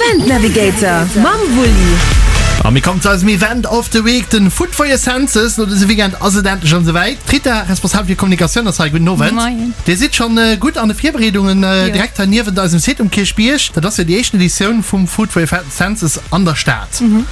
Event Navigator mam Wulli. A mir kommen zu eisem Event of the Week, den Food for your Senses. No dësem Weekend ass et endlech erëm esouwäit. D'Rita, responsabel fir Kommunikatioun, ass hei. Gudden Owend. Moien. Dir sidd schonn gutt an de Virbereedungen, direkt hei niewent eisem Site um Kierchbierg. Dat ass jo déi éischten Editioun vum Food for your Senses an der Stad.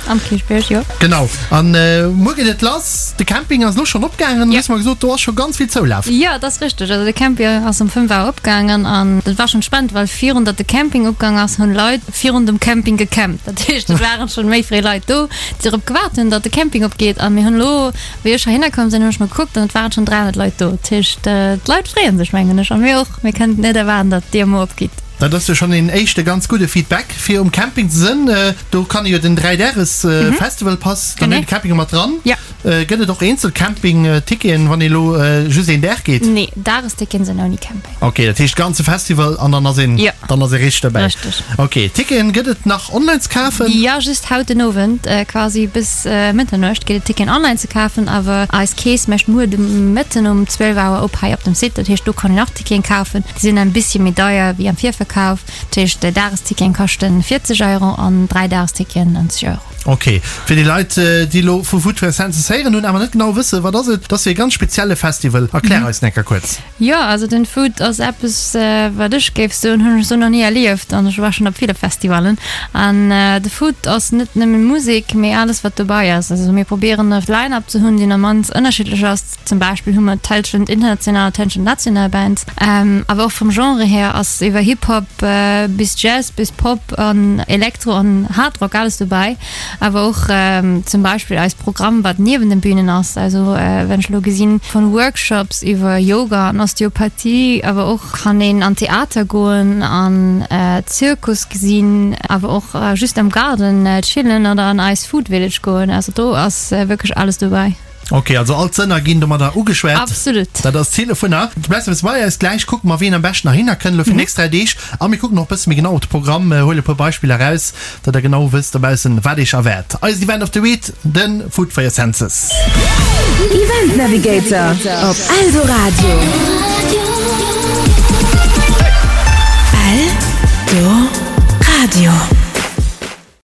Am Kierchbierg, jo. Genau. An muer geet et lass. De Camping ass elo schonn opgaangen. Du hues mer gesot, do ass scho ganz vill Zoulaf. Jo, et ass richteg. Also de Camping ass um 5 Auer opgaangen an dat war schonn spannend, well virun datt de Camping opgaang ass, hunn Leit virun dem Camping gecampt. Dat heescht, et waren schonn méi fréi Leit do, déi drop gewaart hunn, datt de Camping opgeet. A mir hunn elo, wéi ech heihinner komm sinn, hunn ech mol gekuckt an et waren schonn 300 Leit do. Dat heescht, d'Leit freeë sech, mengen ech, a mir och. Mir kënnen et net erwaarden, datt d'Dier muer opgeet. Dat ass jo schonn een éischte ganz gudde Feedback fir um Camping ze sënn. Do kann ee jo den 3 Dages Festival Pass, dann huet de Camping mat dran. Gëtt et och eenzel Camping Ticketen wann ee lo just een Dag geet? Nee, Dagesticketen sinn ouni Camping. Ok, dat heescht ganze Festival an dann ass een dann ass ee richteg dobäi. Richteg. Ok, Ticketen gëtt et nach online ze kafen? Jo, just haut den Owend, quasi bis Mëtternuecht geet et Ticketen online ze kafen, awer eis Kees mécht muer de Mëtten um 12 Auer op hei op dem Site, dat heescht do kann een och Ticketen kafen. Déi sinn en bisschen méi deier wéi am Virverkauf. Dat heescht Dagesticketen kaschten 40 Euro an 3 Dagesticketen 90 Euro. Ok, fir déi Leit déi elo vu Food for Senses héieren hunn awer net genau wëssen wat ass et, dat ass jo ee ganz spezielle Festival, erklär eis en enker kuerz. Jo, also den Food ass eppes wat ech géif soen hunn ech esou nach ni erlieft an ech war schonn op ville Festivallen an de Food ass net nëmmen Musek mee alles wat dobei ass. Also mir probéieren e Line-Up ze hunn deen am mannst ënnerschiddlech ass. Zum Beispill hu mer d'Hälschent international, d'Hälschent national Bands. Awer och vum Genre hier ass iwwer Hip Hop bis Jazz bis Pop an Elektro an Hard Rock alles dobäi. Awer och zum Beispill eist Programm wat niewen den Bünen ass. Also wann ech elo gesinn vun Workshops iwwer Yoga an Osteopathie, awer och kann een an Theater goen an Zirkus gesinn, awer och just am Garden chillen oder an eis Food Village goen. Also do ass wierklech alles dobäi. Ok, also all d'Sënner ginn domadder ugeschwat. Absolut. Dat ass d'Zil dovunner. Du bleifs e bësse bei eis. Gläich kucke mer, wien am beschten heihinner kënnt elo fir déi nächst 3 Deeg. A mir kucken och e bësse méi genau op de Programm, huele e puer Beispiller eraus, datt der genau wësst dobaussen, wat iech erwaart. Eisen Event of the Week, de Food for your Senses. Event Navigator op Eldoradio. Eldoradio.